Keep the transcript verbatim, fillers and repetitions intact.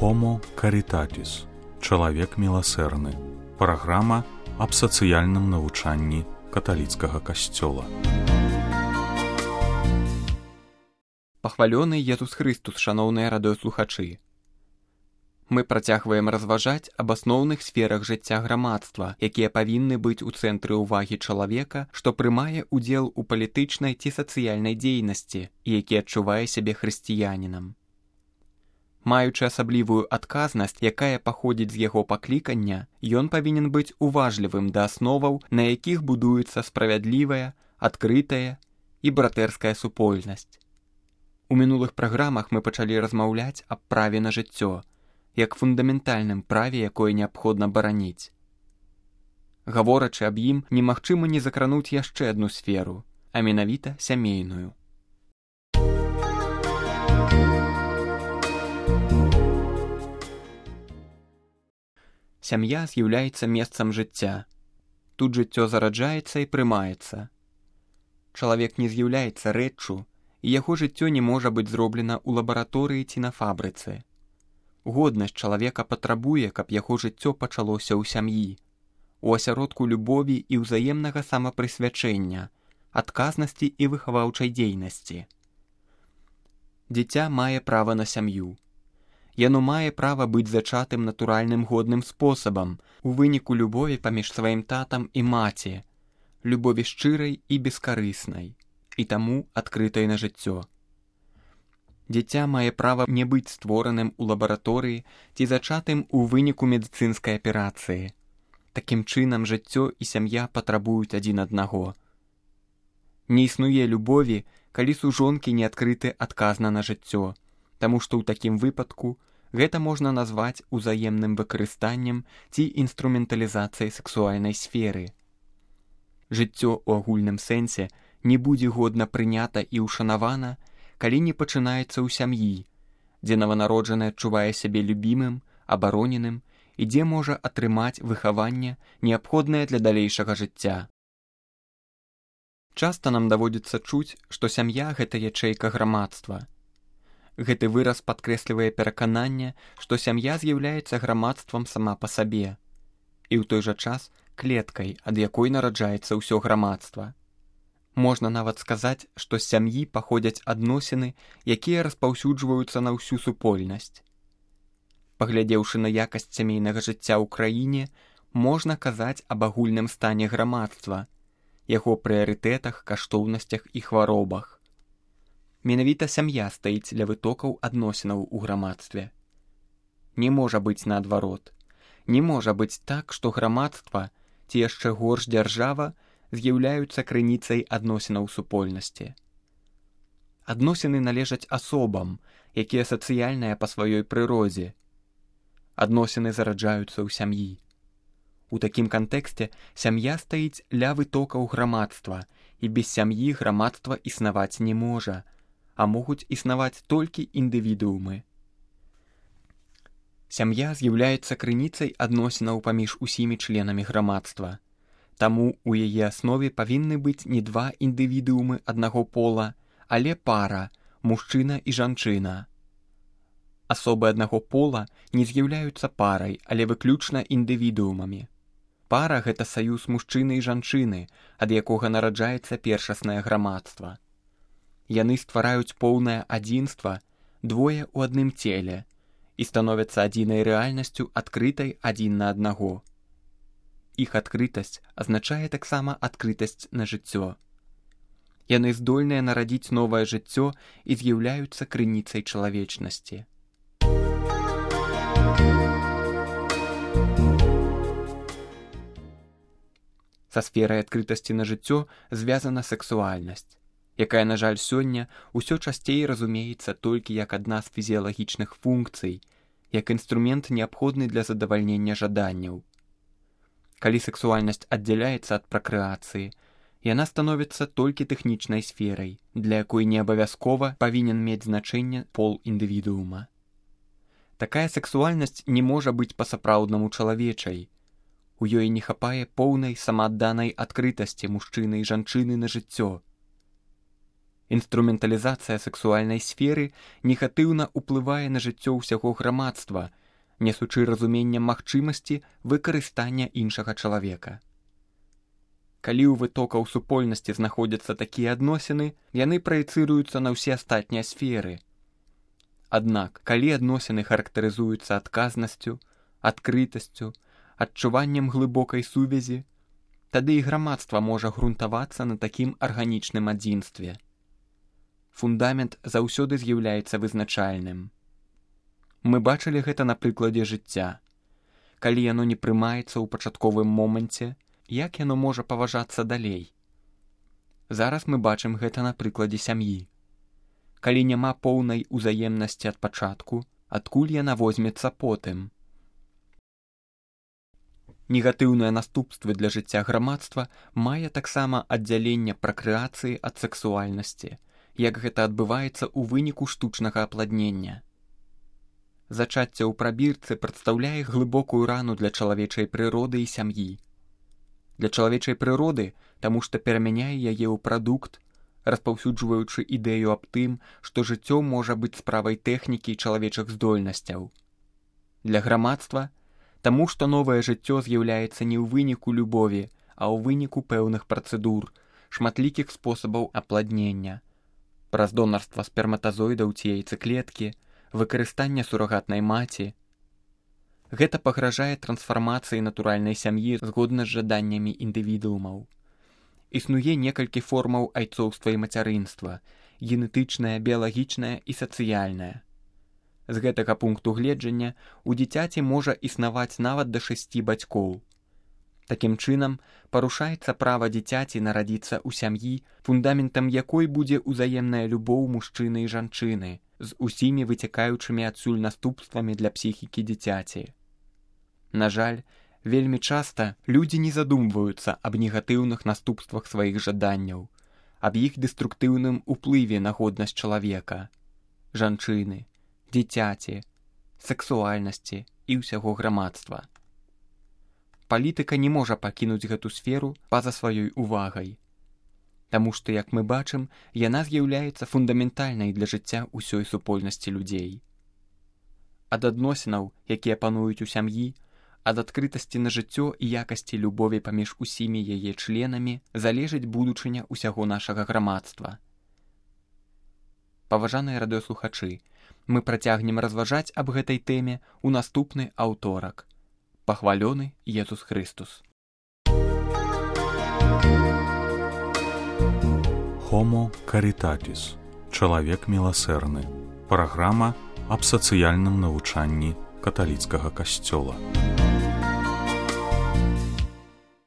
Homo Caritatis. Чалавек міласэрны. Праграма аб сацыяльным навучанні каталіцкага касцёла. Пахвалёны Езус Христус, шаноўныя радыёслухачы. Мы працягваем разважаць аб асноўных сферах жыцця грамадства, якія павінны быць у цэнтры ўвагі чалавека, што прымае ўдзел у палітычнай ці сацыяльнай дзейнасці і які адчувае сябе хрысціянінам. Маючы асаблівую адказнасць, якая паходзіць з яго паклікання, ён павінен быць уважлівым да асноваў, на якіх будуецца справядлівая, адкрытая і братэрская супольнасць. У мінулых праграмах мы пачалі размаўляць аб праве на жыццё, як фундаментальным праве, якое неабходна бараніць. Гаворачы аб ім, немагчыма не закрануць яшчэ адну сферу, а менавіта сямейную. Сям'я з'яўляецца месцам жыцця. Тут жыццё зараджаецца і прымаецца. Чалавек не з'яўляецца рэччу, і яго жыццё не можа быць зроблена ў лабараторыі ці на фабрыцы. Годнасць чалавека патрабуе, каб яго жыццё пачалося ў сям'і, у асяродку любові і ўзаемнага самапрысвячэння, адказнасці і выхаваўчай дзейнасці. Дзіця мае права на сям'ю. Яно мае права быць зачатым натуральным годным спосабам, у выніку любові паміж сваім татам і маці, любові шчырай і бескарыснай, і таму адкрытай на жыццё. Дзіця мае права не быць створаным у лабараторыі ці зачатым у выніку медыцынскай аперацыі. Такім чынам жыццё і сям'я патрабуюць адзін аднаго. Не існуе любові, калі сужонкі не адкрыты адказна на жыццё, таму што ў такім выпадку гэта можна назваць узаемным выкарыстаннем ці інструменталізацыяй сексуальнай сферы. Жыццё ў агульным сэнсе не будзе годна прынята і ўшанавана, калі не пачынаецца ў сям'і, дзе нованароджаны адчувае сябе любімым, абароненым і дзе можа атрымаць выхаванне, неабходнае для далейшага жыцця. Часта нам даводзіцца чуць, што сям'я – гэта ячэйка грамадства. Гэты выраз падкрэслівае перакананне, што сям'я з'яўляецца грамадствам сама па сабе і ў той жа час клеткай, ад якой нараджаецца ўсё грамадства. Можна нават сказаць, што з сям'і паходзяць адносіны, якія распаўсюджваюцца на ўсю супольнасць. Паглядзеўшы на якасць сямейнага жыцця ў краіне, можна казаць аб агульным стане грамадства, яго прыярытэтах, каштоўнасцях і хваробах. Менавіта сям'я стаіць для вытокаў адносінаў у грамадстве. Не можа быць наадварот. Не можа быць так, што грамадства, ці яшчэ горш дзяржава, з'яўляюцца крыніцай адносінаў супольнасці. Адносіны належаць асобам, якія сацыяльныя па сваёй прыродзе. Адносіны зараджаюцца ў сям'і. У такім кантэксце сям'я стаіць ля вытокаў грамадства, і без сям'і грамадства існаваць не можа, а могуць існаваць толькі індывідуумы. Сям'я з'яўляецца крыніцай адносінаў паміж усімі членамі грамадства. Таму ў яе аснове павінны быць не два індывідуумы аднаго пола, але пара, мужчына і жанчына. Асобы аднаго пола не з'яўляюцца парай, але выключна індывідуумамі. Пара – гэта саюз мужчыны і жанчыны, ад якога нараджаецца першаснае грамадства. Яны ствараюць поўнае адзінства, двое ў адным целе, і становяцца адзінай рэальнасцю, адкрытай адзін на аднаго. Іх адкрытасць азначае таксама адкрытасць на жыццё. Яны здольныя нарадзіць новае жыццё і з'яўляюцца крыніцай чалавечнасці. Са сферай адкрытасці на жыццё звязана сексуальнасць, якая, на жаль, сёння ўсё часцей разумеецца толькі як адна з фізіялагічных функцый, як інструмент неабходны для задавальнення жаданняў. Калі сексуальнасць аддзяляецца ад пракрэацыі, яна становіцца толькі тэхнічнай сферай, для якой не абавязкова павінен мець значэнне пол індывідуума. Такая сексуальнасць не можа быць па-сапраўднаму чалавечай. У ёй не хапае поўнай самаадданай адкрытасці мужчыны і жанчыны на жыццё. Інструменталізацыя сэксуальнай сферы негатыўна ўплывае на жыццё ўсяго грамадства, несучы разуменнем магчымасці выкарыстання іншага чалавека. Калі ў вытокаў супольнасці знаходзяцца такія адносіны, яны праецыруюцца на ўсе астатнія сферы. Аднак, калі адносіны характарызуюцца адказнасцю, адкрытасцю, адчуваннем глыбокай сувязі, тады і грамадства можа грунтавацца на такім арганічным адзінстве. Фундамент заўсёды з'яўляецца вызначальным. Мы бачылі гэта на прыкладзе жыцця. Калі яно не прымаецца ў пачатковым моманце, як яно можа паважацца далей? Зараз мы бачым гэта на прыкладзе сям'і. Калі няма поўнай узаемнасці ад пачатку, адкуль яна возьмецца потым? Негатыўныя наступствы для жыцця грамадства мае таксама аддзяленне пракрэацыі ад сэксуальнасці, як гэта адбываецца ў выніку штучнага апладнення. Зачацце ў прабірцы прадстаўляе глыбокую рану для чалавечай прыроды і сям'і. Для чалавечай прыроды, таму што перамяняе яе ў прадукт, распаўсюджваючы ідэю аб тым, што жыццё можа быць справай тэхнікі і чалавечых здольнасцяў. Для грамадства, таму што новае жыццё з'яўляецца не ў выніку любові, а ў выніку пэўных працэдур, шматлікіх спосабаў апладнення, праз донарства сперматазоідаў ці яйцэклеткі, выкарыстання сурагатнай маці. Гэта пагражае трансфармацыі натуральнай сям'і згодна з жаданнямі індывідуумаў. Існуе некалькі формаў айцоўства і мацярынства – генетычнае, біялагічнае і сацыяльнае. З гэтага пункту гледжання у дзіцяці можа існаваць нават да шасці бацькоў. Такім чынам, парушаецца права дзіцяці нарадзіцца ў сям'і, фундаментам якой будзе ўзаемная любоў мужчыны і жанчыны, з усімі выцякаючымі адсюль наступствамі для псіхікі дзіцяці. На жаль, вельмі часта людзі не задумваюцца аб негатыўных наступствах сваіх жаданняў, аб іх дэструктыўным уплыве на годнасць чалавека, жанчыны, дзіцяці, сэксуальнасці і ўсяго грамадства. Палітыка не можа пакінуць гэту сферу па-за сваёй увагай, таму што, як мы бачым, яна з'яўляецца фундаментальнай для жыцця ўсёй супольнасці людзей. Ад адносінаў, якія пануюць у сям'і, ад адкрытасці на жыццё і якасці любові паміж усімі яе членамі залежыць будучыня ўсяго нашага грамадства. Паважаныя радыёслухачы, мы працягнем разважаць аб гэтай тэме ў наступны аўторак. Пахвалёны Езус Христус. Homo Caritatis. Чалавек міласэрны. Праграма аб сацыяльным навучанні каталіцкага касцёла.